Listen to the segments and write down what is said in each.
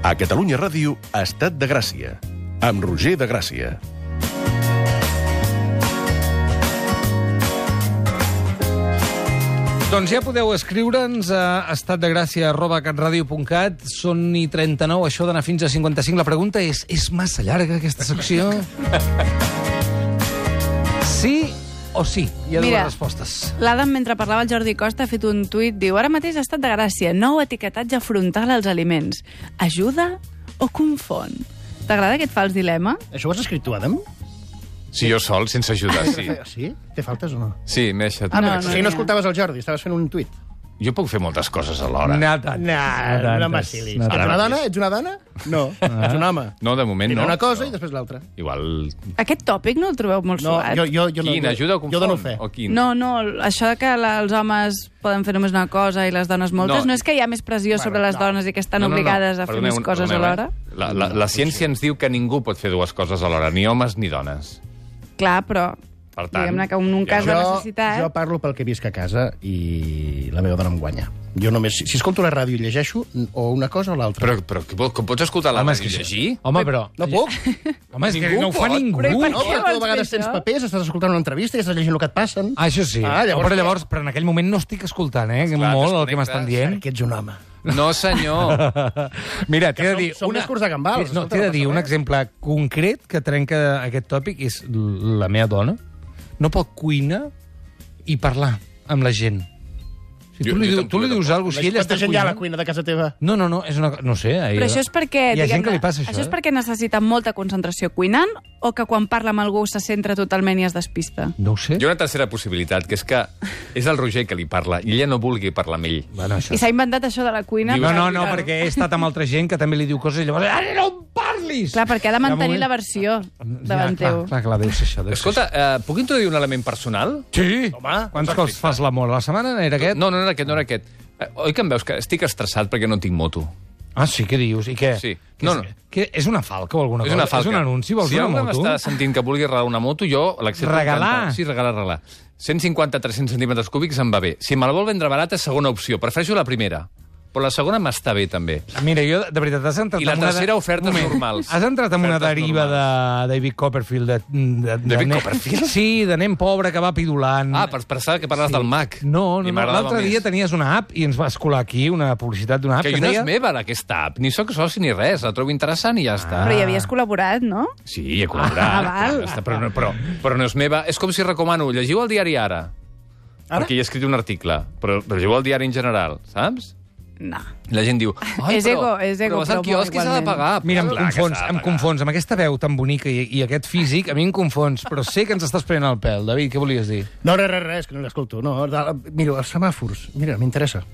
A Catalunya Ràdio, Estat de Gràcia, amb Roger de Gràcia. Doncs ja podeu escriure'ns a estatdegràcia@catradio.cat. Són i 39, això d'anar fins a 55. La pregunta és massa llarga aquesta secció? Sí o sí? Hi ha dues respostes. L'Adam, mentre parlava el Jordi Costa, ha fet un tuit, diu: ara mateix Estat de Gràcia, nou etiquetatge frontal als aliments. Ajuda o confon? T'agrada aquest fals dilema? Això ho has escrit tu, Adam? Sí, jo sol, sense ajudar, sí. Sí? Té faltes o no? Sí, m'he deixat... Si no escoltaves el Jordi, estaves fent un tuit. Jo puc fer moltes coses alhora. No m'assilis. Ets una dona? Ets una dona? No, ets un home. No, de moment no. Una cosa i després l'altra. Igual... Aquest tòpic no el trobeu molt suat? Jo Quin? no. Ajuda o confon? Jo dono fe. O quin? No, això que els homes poden fer només una cosa i les dones moltes, no és que hi ha més pressió sobre les dones i que estan obligades a fer més coses alhora? La ciència ens diu que ningú pot fer dues coses alhora, ni homes ni dones. Clar, però Per tant, diguem-ne que en un cas de necessitat... Jo parlo pel que visc a casa i la meva dona em guanya. Jo només, si escolto la ràdio i llegeixo, o una cosa o l'altra. Però com pots escoltar la ràdio i llegir? Home, però... No puc. Home, és que no ho fa ningú. Però i per No, què però tu a vols vegades fer tens això? papers, estàs escoltant una entrevista i estàs llegint el que et passen. Ah, això sí. Però en aquell moment no estic escoltant, molt el que m'estan dient. Que ets un home. No, senyor. Mira, t'he de dir... Som més curts de gambals. No, t'he de dir un exemple concret que trenca aquest tòpic, és la meva dona. No pot cuinar i parlar amb la gent. Si tu li dius alguna cosa, si ella està Quanta gent hi ha a la cuinant... cuina de casa teva? No, és una... No sé. Però això és perquè... Hi ha gent que li passa això, Això és perquè necessita molta concentració cuinant o que quan parla amb algú se centra totalment i es despista? No ho sé. Hi ha una tercera possibilitat, que és que és el Roger que li parla i ella no vulgui parlar amb ell. Bueno, això... I s'ha inventat això de la cuina? No, perquè he estat amb altra gent que també li diu coses i llavors... Ara no em parlis! Clar, perquè ha de mantenir la versió davant teu. Clar, deu ser això. Escolta, puc introduir un element personal? Sí! Home, Quants cops fas l'amor? La setmana era aquest? No era aquest. Oi que em veus que estic estressat perquè no tinc moto? Ah, sí, què dius? I què? Sí. Què, és una falca o alguna cosa? És una falca. És un anunci? Vols si una algú moto? m'està sentint que vulgui regalar una moto, jo l'accepto. Regalar? Sí, regalar. 150-300 centímetres cúbics em va bé. Si me la vol vendre barata, segona opció. Prefereixo la primera. Però la segona m'està bé, també. Mira, jo, de veritat, has entrat... I la tercera, ofertes normals. Has entrat en una deriva de David Copperfield. David Copperfield? Sí, de nen pobre que va pidulant. Ah, pensava que parles del Mac. No. L'altre dia tenies una app i ens va escolar aquí una publicitat d'una app que no és meva, aquesta app. Ni soc soci ni res. La trobo interessant i ja està. Però hi havies col·laborat, no? Sí, he col·laborat. Val. Però no és meva. És com si recomano, llegiu el diari Ara. Perquè hi he escrit un article. Però llegiu el diari en general, saps? No. La gent diu... És ego, però vas al quiosc i s'ha de pagar. Mira, em confons. Amb aquesta veu tan bonica i aquest físic, a mi em confons. Però sé que ens estàs prenent el pèl. David, què volies dir? No, res, que no l'escolto. No, mira, els semàfors. Mira, m'interessa.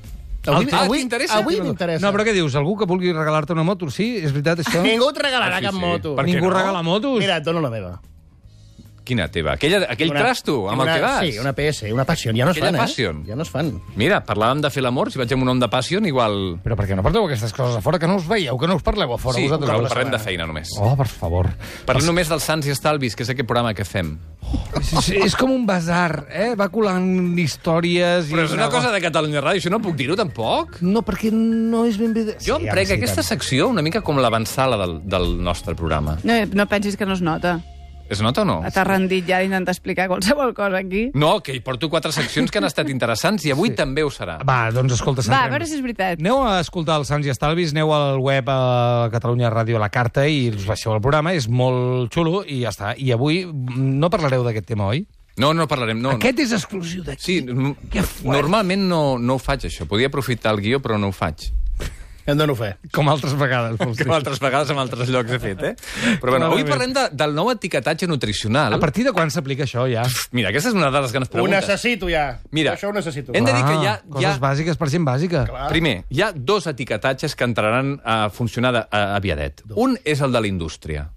t'interessa? Avui m'interessa. No, però què dius? Algú que vulgui regalar-te una moto? Sí, és veritat, això? Ningú et regalarà cap moto. Per què Ningú no? regala motos? Mira, et dono la meva. Quina teva? Aquell trasto amb el que vas? Sí, una PS, una Passion. Ja no es Aquella fan, Passion. Ja no es fan. Mira, parlàvem de fer l'amor. Si vaig amb un nom de Passion, igual... Però per què no porteu aquestes coses a fora? Que no us veieu, que no us parleu a fora, Sí, vosaltres. però parlem de feina només. Oh, per favor. Parlem només dels Sants i Estalvis, que és aquest programa que fem. És com un basar, Va colant històries... Però és una cosa de Catalunya Ràdio, això no puc dir-ho, tampoc? No, perquè no és ben bé... Jo em prenc aquesta secció una mica com l'avançala del nostre programa. No pensis que no es nota. Es nota o no? T'has rendit ja d'intentar explicar qualsevol cosa aquí. No, que hi porto 4 seccions que han estat interessants i avui també ho serà. Va, doncs escolta, Va, a veure si és veritat. Aneu a escoltar els Sants i Estalvis, aneu al web a Catalunya Ràdio a la carta i us baixeu el programa, és molt xulo i ja està. I avui no parlareu d'aquest tema, oi? No parlarem. No, Aquest és exclusiu d'aquí. Sí, normalment no ho faig, això. Podia aprofitar el guió, però no ho faig. Em dono fe. Com altres vegades. Com altres vegades en altres llocs he fet, Però bueno, avui parlem del nou etiquetatge nutricional. A partir de quan s'aplica això, ja? Mira, aquesta és una de les grans Ho preguntes. necessito, ja. Mira, Això ho necessito. hem de dir que hi ha... Coses bàsiques per gent bàsica. Primer, hi ha 2 etiquetatges que entraran a funcionar aviadet. Un és el de la indústria,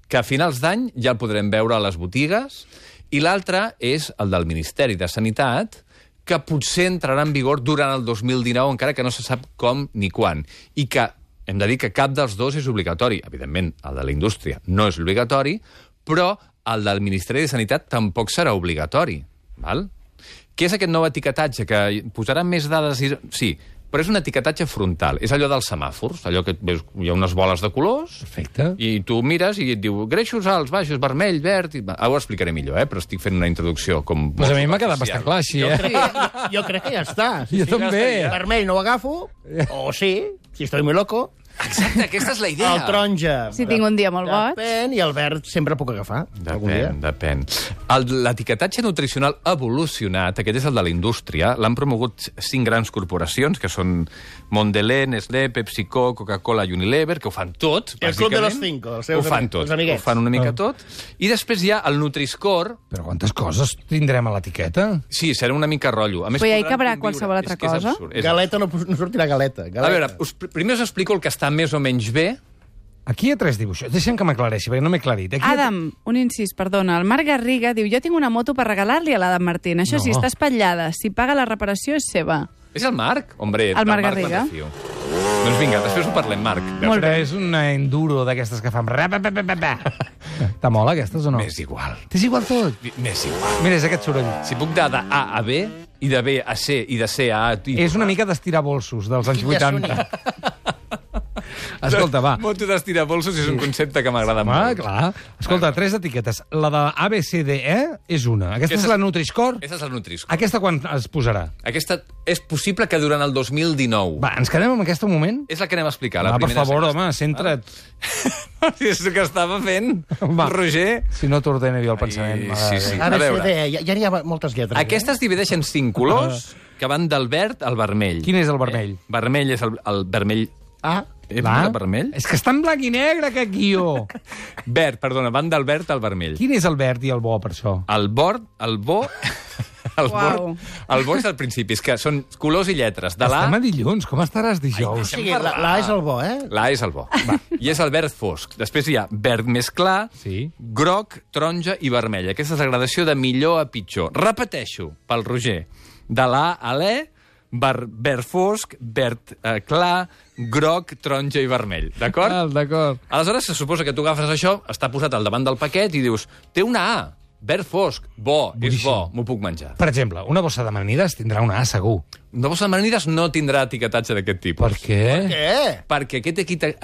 que a finals d'any ja el podrem veure a les botigues, i l'altre és el del Ministeri de Sanitat, que potser entrarà en vigor durant el 2019, encara que no se sap com ni quan. I que hem de dir que cap dels dos és obligatori. Evidentment, el de la indústria no és obligatori, però el del Ministeri de Sanitat tampoc serà obligatori. Val? Què és aquest nou etiquetatge? Que posarà més dades... Sí, però és un etiquetatge frontal. És allò dels semàfors, allò que veus, hi ha unes boles de colors, Perfecte. i tu mires i et diu greixos alts, baixos, vermell, verd... Ara ho explicaré millor, però estic fent una introducció com... Pues a mi m'ha quedat bastant clar, així, Jo crec que ja està. Jo també. Vermell no ho agafo, o sí, si estoy muy loco. Exacte, aquesta és la idea. El taronja... Si tinc un dia molt boig. Depèn, i el verd sempre puc agafar. algun dia. Depèn. L'etiquetatge nutricional ha evolucionat, aquest és el de la indústria, l'han promogut 5 grans corporacions, que són Mondelez, Nestlé, PepsiCo, Coca-Cola i Unilever, que ho fan tot, El club de los 5, els seus ho fan tot, els amiguets. ho fan una mica tot. I després hi ha el Nutri-Score. Però quantes coses tindrem a l'etiqueta? Sí, serà una mica rotllo. A més, Però ja hi podran cabrà conviure. qualsevol altra És que és cosa? absurd, és Galeta no sortirà galeta. A veure, primer us explico el que està més o menys bé. Aquí hi ha 3 dibuixos. Deixa'm que m'aclareixi, perquè no m'he aclarit. Aquí Adam, un incís, perdona. El Marc Garriga diu, jo tinc una moto per regalar-li a l'Adam Martín. Això sí, No. està espatllada. Si paga la reparació és seva. És el Marc? Hombre, El del Marc me'n Garriga. refio. Doncs vinga, després ho parlem, Marc. Molt Però bé. és una enduro d'aquestes que fan... T'amola, aquestes, o no? M'és igual. T'és igual tot? M'és igual. Mira, és aquest soroll. Si puc anar d'A a B, i de B a C, i de C a A... És una mica d'estirar bolsos dels anys Quin 80. Escolta, va. Moto d'estirabolsos és un concepte que m'agrada Ah, molt. clar. Escolta, 3 etiquetes. La de ABCDE és una. Aquesta és la Nutri-Score. Aquesta és el Nutri-Score. Aquesta quan es posarà? Aquesta és possible que durant el 2019. Va, ens quedem amb aquesta un moment? És la que anem a explicar. Va, La per primera favor, és aquesta. home, centra't. És el que estava fent, Va. Roger. Si no t'ordeno jo el pensament. Ai, sí, sí. A A veure. veure, ja n'hi ha moltes lletres. Aquesta es divideix en 5 colors que van del verd al vermell. Quin és el vermell? Vermell és el vermell... Ah, Va? El vermell? És que està en blanc i negre, aquest guió. Verd, perdona, van del verd al vermell. Quin és el verd i el bo, per això? El bo... Uau. El bo és al principi, és que són colors i lletres. De Estem l'A, a dilluns, com estaràs o dijous? sigui, la és el bo, eh? l'A és el bo. Va. I és el verd fosc. Després hi ha verd més clar, Sí. groc, taronja i vermell. Aquesta és la gradació de millor a pitjor. Repeteixo, pel Roger. De l'A a l'E, verd fosc, verd clar, groc, taronja i vermell. D'acord? D'acord. Aleshores, se suposa que tu agafes això, està posat al davant del paquet i dius, té una A, verd fosc, bo, és bo, m'ho puc menjar. Per exemple, una bossa d'amanides tindrà una A, segur. Una bossa d'amanides no tindrà etiquetatge d'aquest tipus. Per què? Què? Perquè aquest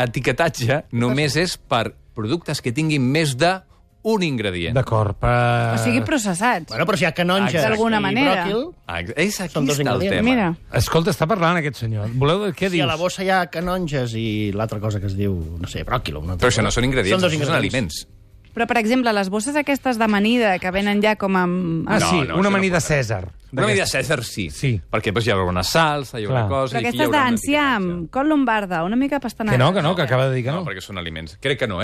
etiquetatge només és per productes que tinguin més d'un ingredient. D'acord, per... O sigui, processats. Bueno, però si hi ha canonges D'alguna i manera. bròquil, És aquí Són dos està el ingredients. tema. Mira, Escolta, està parlant aquest senyor. Voleu... Què si dius? a la bossa hi ha canonges i l'altra cosa que es diu, no sé, bròquil. Però això no són ingredients, Són dos això són ingredients. aliments. però per exemple, les bosses aquestes d'amanida que venen ja com amb... Ah, No, sí, no, una això no amanida pot ser. Cèsar. Una medida Cèsar, sí. Sí. Perquè després hi haurà una salsa, hi haurà Clar. cosa... Però i aquí hi aquestes haurà un d'enciam, etiquetatge. col lombarda, una mica pastanaga. Que acaba de dir que No, no. perquè són aliments. Crec que no,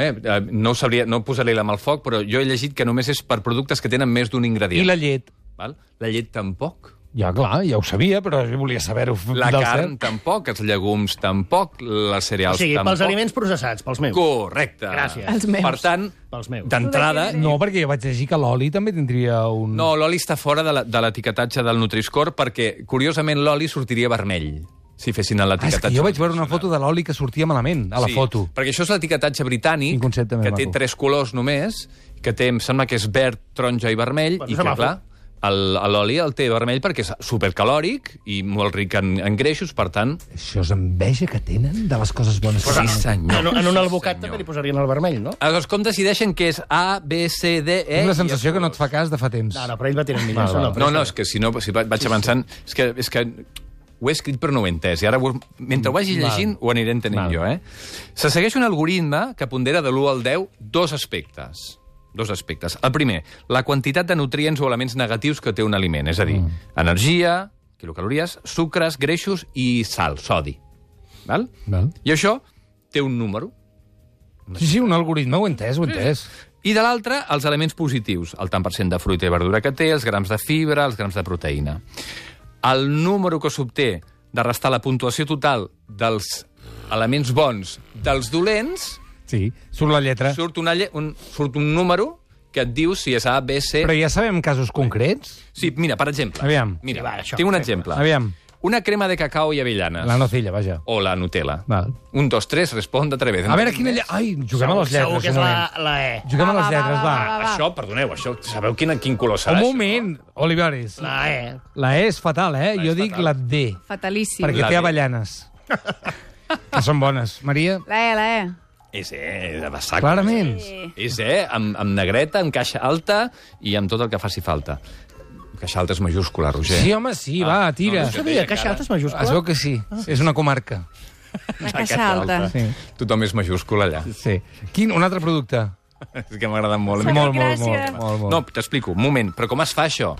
no ho sabria, no posaré la mà al foc, però jo he llegit que només és per productes que tenen més d'un ingredient. I la llet? Val? La llet tampoc. Ja, clar, ja ho sabia, però jo volia saber-ho. La del carn cert. tampoc, els llegums tampoc, les O cereals sigui, tampoc. pels aliments processats, pels meus. Correcte. Gràcies. Els meus. Per tant, Pels meus. d'entrada... No, perquè jo vaig llegir que l'oli també tindria un... No, l'oli està fora de l'etiquetatge del Nutri-Score perquè, curiosament, l'oli sortiria vermell si fessin Ah, és l'etiquetatge. que jo vaig veure una foto de l'oli que sortia malament, a la foto. Perquè això és l'etiquetatge britànic, Quin concepte més que té maco. 3 colors només, que té, em sembla que és verd, taronja i vermell, Bueno, i que, semàfor. clar, l'oli el té vermell perquè és supercalòric i molt ric en greixos, per tant... Això és enveja que tenen de les coses bones. Sí, senyor. En un albocat Sí, també senyor. li posarien el vermell, no? Aleshores, com decideixen que és A, B, C, D, E... Tinc la i sensació els que no et fa cas de fa temps. No, però ell va tirant millor. Val, val. No, és que si no, si vaig avançant... És que ho he escrit però no ho he entès, i ara mentre ho vagi llegint ho aniré entenent jo, Se segueix un algoritme que pondera de l'1 al 10 dos aspectes. El primer, la quantitat de nutrients o elements negatius que té un aliment, és a dir, energia, quilocalories, sucres, greixos i sal, sodi. Val? Val. I això té un número. Sí, un algoritme, ho he entès, ho he entès. I de l'altre, els elements positius, el tant per cent de fruita i verdura que té, els grams de fibra, els grams de proteïna. El número que s'obté de restar la puntuació total dels elements bons dels dolents, Sí, surt la lletra. surt un número que et diu si és A, B, C... Però ja sabem casos concrets? Sí, mira, per exemple. Aviam. Mira, Va, això, tinc un fem-ho. exemple. Aviam. Una crema de cacao i avellanes. La nocilla, vaja. O la Nutella. Val. 1, 2, 3, responde otra vez. A veure, quina... Ai, juguem a les lletres. Segur que és un moment. la E. Juguem a les lletres, va. Això, perdoneu, això, sabeu quin color serà? Un moment, Olivares. La E. La E és fatal, eh? Jo dic la D, Fatalíssim. perquè La té D. avellanes. Que són bones. Maria? La E. És de sac. Clarament. És amb negreta, amb caixa alta i amb tot el que faci falta. Caixa alta és majúscula, Roger. Sí, home, sí, va, tira. no, No sabia, caixa alta és Es majúscula. veu que sí. És una comarca. La caixa alta. Sí. Tothom és majúscula allà. Sí. Un altre producte? És que m'ha agradat molt. Molt, Molt, molt. No, t'explico, un moment, però com es fa això?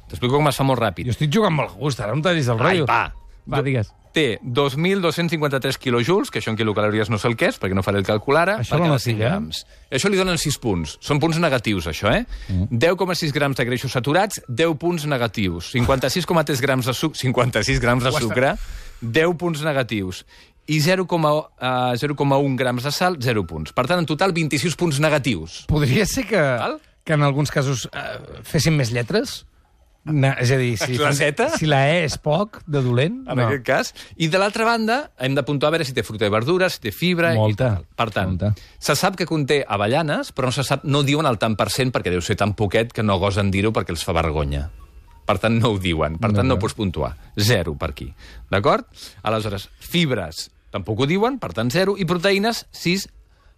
T'explico com es fa molt ràpid. Jo estic jugant molt a gust, ara no em tallis el rotllo. Va, digues. Té 2.253 quilojoules, que això en quilocalories no sé el que és, perquè no faré el càlcul ara, Això per la cada 100 nocilla? grams. Això li donen 6 punts. Són punts negatius, això, eh? 10,6 grams de greixos saturats, 10 punts negatius. 56,3 grams de sucre, 56 grams de sucre, 10 punts negatius. I 0,1 grams de sal, 0 punts. Per tant, en total, 26 punts negatius. Podria ser Val? que en alguns casos fessin més lletres? És a dir, La zeta? si la E és poc, de dolent, En no. aquest cas. I de l'altra banda, hem de puntuar a veure si té fruita i verdura, si té fibra... Molta. I tal. Per tant, Molta. se sap que conté avellanes, però no se sap, no diuen el tant per cent, perquè deu ser tan poquet que no gosen dir-ho perquè els fa vergonya. Per tant, no ho diuen. Per tant, no pots puntuar. 0 per aquí. D'acord? Aleshores, fibres tampoc ho diuen, per tant, 0. I proteïnes, 6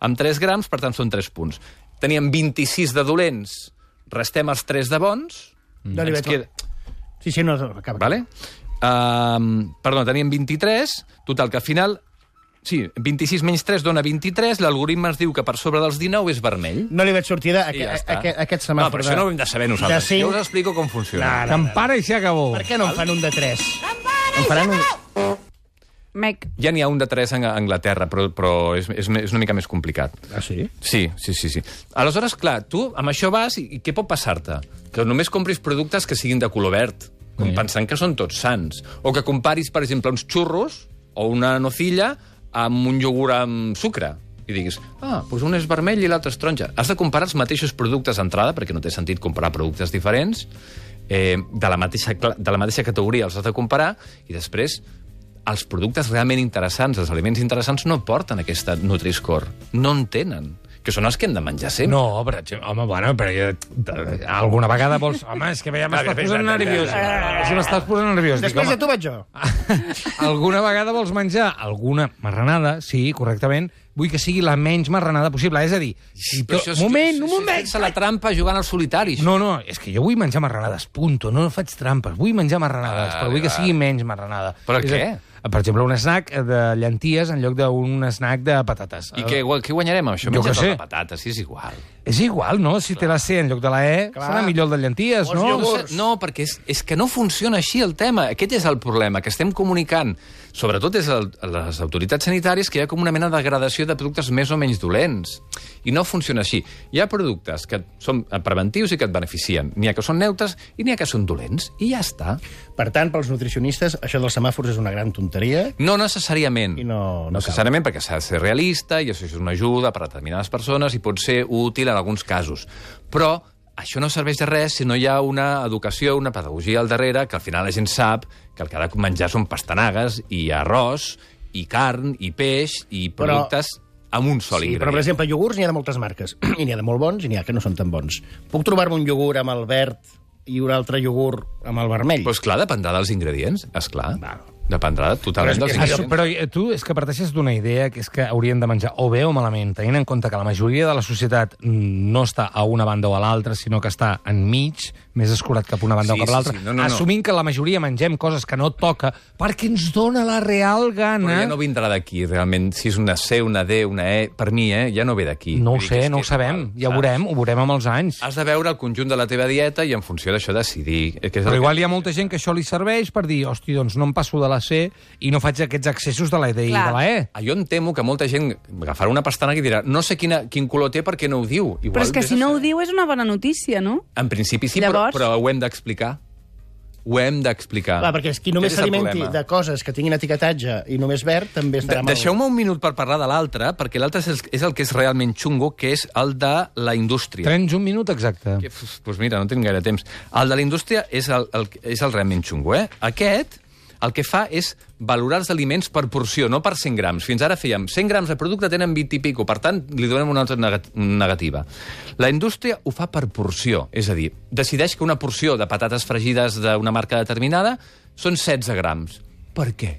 amb 3 grams, per tant, són 3 punts. Teníem 26 de dolents, restem els 3 de bons... No li ens veig queda- Sí, no, acaba. Vale? Perdó, teníem 23, total, que al final... Sí, 26 menys 3 dona 23, l'algoritme ens diu que per sobre dels 19 és vermell. No li veig sortida a I ja està. aquest No, semàfor. però això no ho hem de saber nosaltres. De cinc. Jo us explico com funciona. Que em para i se acabó. Per què no en fan un de 3? En faran un... Mec. Ja n'hi ha un de 3 a Anglaterra, però és una mica més complicat. Ah, sí? Sí. Aleshores, clar, tu amb això vas i què pot passar-te? Que només compris productes que siguin de color verd, pensant que són tots sants. O que comparis, per exemple, uns xurros o una nocilla amb un iogurt amb sucre. I diguis, doncs un és vermell i l'altre és taronja. Has de comparar els mateixos productes d'entrada, perquè no té sentit comparar productes diferents, de la mateixa categoria els has de comparar, i després els productes realment interessants, els aliments interessants, no porten aquesta Nutri-Score. No en tenen. Que són els que hem de menjar sempre. No, però, home, bueno, però alguna vegada vols... Home, és que ja m'estàs posant nerviós. Si m'estàs posant nerviós. Després de tu vaig jo. Alguna vegada vols menjar alguna marranada, sí, correctament, vull que sigui la menys marranada possible. És a dir, si Però to... això és- un moment. Fent-se la trampa jugant als solitaris. No, és que jo vull menjar marranades, punto. No faig trampes. Vull menjar marranades, però vull que sigui menys marranada. Però És què? Per exemple, un snack de llenties en lloc d'un snack de patates. I què guanyarem amb això? Jo què Menjar sé. tota la patata, sí, és igual. És igual, no? Si té la C en lloc de la E, serà millor el de llenties, Els no? iogurts. No, perquè és que no funciona així el tema. Aquest és el problema, que estem comunicant, sobretot des de les autoritats sanitàries, que hi ha com una mena de gradació de productes més o menys dolents. I no funciona així. Hi ha productes que són preventius i que et beneficien. N'hi ha que són neutres i n'hi ha que són dolents. I ja està. Per tant, pels nutricionistes, això dels semàfors és una gran tonteria. No necessàriament. I no necessàriament, perquè s'ha de ser realista, i això és una ajuda per a determinades persones i pot ser útil en alguns casos. Però això no serveix de res si no hi ha una educació, una pedagogia al darrere, que al final la gent sap que el que ha de menjar són pastanagues i arròs, i carn, i peix, i productes amb un sol Sí, ingredient. però, per exemple, iogurts n'hi ha de moltes marques. I n'hi ha de molt bons i n'hi ha que no són tan bons. Puc trobar-me un iogurt amb el verd i un altre iogurt amb el vermell? Doncs clar, dependrà dels ingredients, esclar. Val. Dependrà totalment Però dels és que ingredients. Però tu és que parteixes d'una idea que és que haurien de menjar o bé o malament, tenint en compte que la majoria de la societat no està a una banda o a l'altra, sinó que està enmig, més escurat cap a una banda Sí, o cap a l'altra, sí, no. assumint que la majoria mengem coses que no toca perquè ens dona la real gana... Però ja no vindrà d'aquí, realment. Si és una C, una D, una E, per mi, ja no ve d'aquí. No ho Vull dir sé, que és no que ho és sabem. igual, Ja saps? ho veurem amb els anys. Has de veure el conjunt de la teva dieta i en funció d'això decidir. Que és Però el igual hi ha molta gent que això li serveix per dir, hosti, doncs no em passo de la C i no faig aquests accessos de la D i Clar. de la E. Jo em temo que molta gent agafarà una pastanaga i dirà no sé quin color té perquè no ho diu. Igual, Però és que vés si a no ho saber. diu és una bona notícia, no? En principi sí, Llavors- però ho hem d'explicar. Ho hem d'explicar. Clar, perquè qui només Aquest és el s'alimenti problema. de coses que tinguin etiquetatge i només verd també estarà mal. Deixeu-me un minut per parlar de l'altre, perquè l'altre és el que és realment xungo, que és el de la indústria. Tens un minut exacte. Doncs mira, no tinc gaire temps. El de la indústria és el realment xungo, eh? Aquest el que fa és valorar els aliments per porció, no per 100 grams. Fins ara fèiem 100 grams de producte tenen 20 i pico, per tant, li donem una altra negativa. La indústria ho fa per porció, és a dir, decideix que una porció de patates fregides d'una marca determinada són 16 grams. Per què?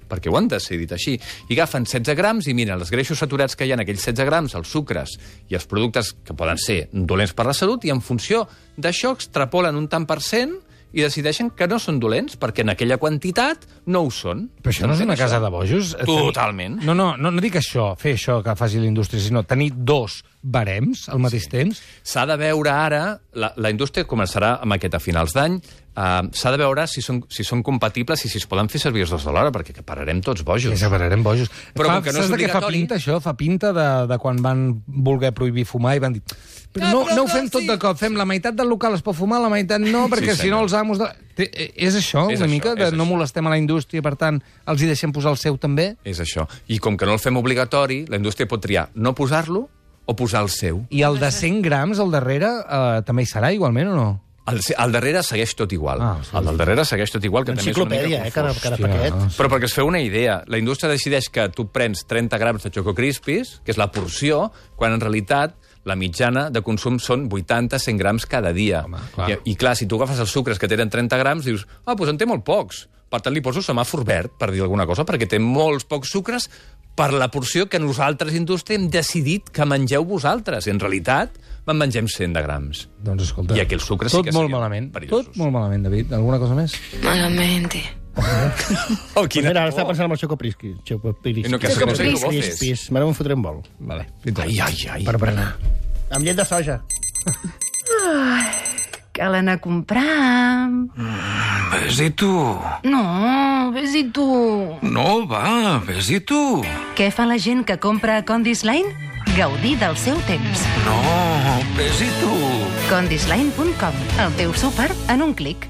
Perquè ho han decidit així. I agafen 16 grams i miren els greixos saturats que hi ha en aquells 16 grams, els sucres i els productes que poden ser dolents per la salut, i en funció d'això extrapolen un tant per cent i decideixen que no són dolents, perquè en aquella quantitat no ho són. Però això no és una casa de bojos? Totalment. No dic això, fer això que faci la indústria, sinó tenir dos barems al mateix temps. S'ha de veure ara, la indústria començarà amb aquest a finals d'any, s'ha de veure si són compatibles i si es poden fer servir els dos alhora, perquè pararem tots bojos. Sí, pararem bojos. Però com que no és obligatori... Saps de què fa pinta, això? Fa pinta de quan van voler prohibir fumar i van dir... Però no ho fem tot de cop, fem la meitat del local es pot fumar, la meitat no, perquè si no els amos... És això, una mica? No molestem a la indústria, per tant, els hi deixem posar el seu també? És això. I com que no el fem obligatori, la indústria pot triar no posar-lo o posar el seu. I el de 100 grams al darrere també hi serà igualment o no? Al darrere segueix tot igual. Sí. El del darrere segueix tot igual, que també és una mica confós. Cada paquet. Però perquè es feu una idea, la indústria decideix que tu prens 30 grams de Choco Crispies, que és la porció, quan en realitat la mitjana de consum són 80-100 grams cada dia. Home, clar. I clar, si tu agafes els sucres que tenen 30 grams, dius, doncs en té molt pocs. Per tant, li poso semàfor verd, per dir alguna cosa, perquè té molts pocs sucres per la porció que nosaltres, indústria, hem decidit que mengeu vosaltres. I en realitat, me'n mengem 100 de grams. Doncs escolta, I aquí els sucres sí que molt malament. perillosos. Tot molt malament, David. Alguna cosa més? Malamente. Oh, quina Mira, ara estava pensant en el Choco Crispies. Choco No, que Choco sé que ho vol Crispies. M'ara me'n fotré un vol. Vale. Ai. Per berenar. Amb llet de soja. Cal anar a comprar... Ves-hi tu. No, ves-hi tu. No, va, ves-hi tu. Què fa la gent que compra a Condis Line? Gaudir del seu temps. No, ves-hi tu. Condisline.com, el teu súper en un clic.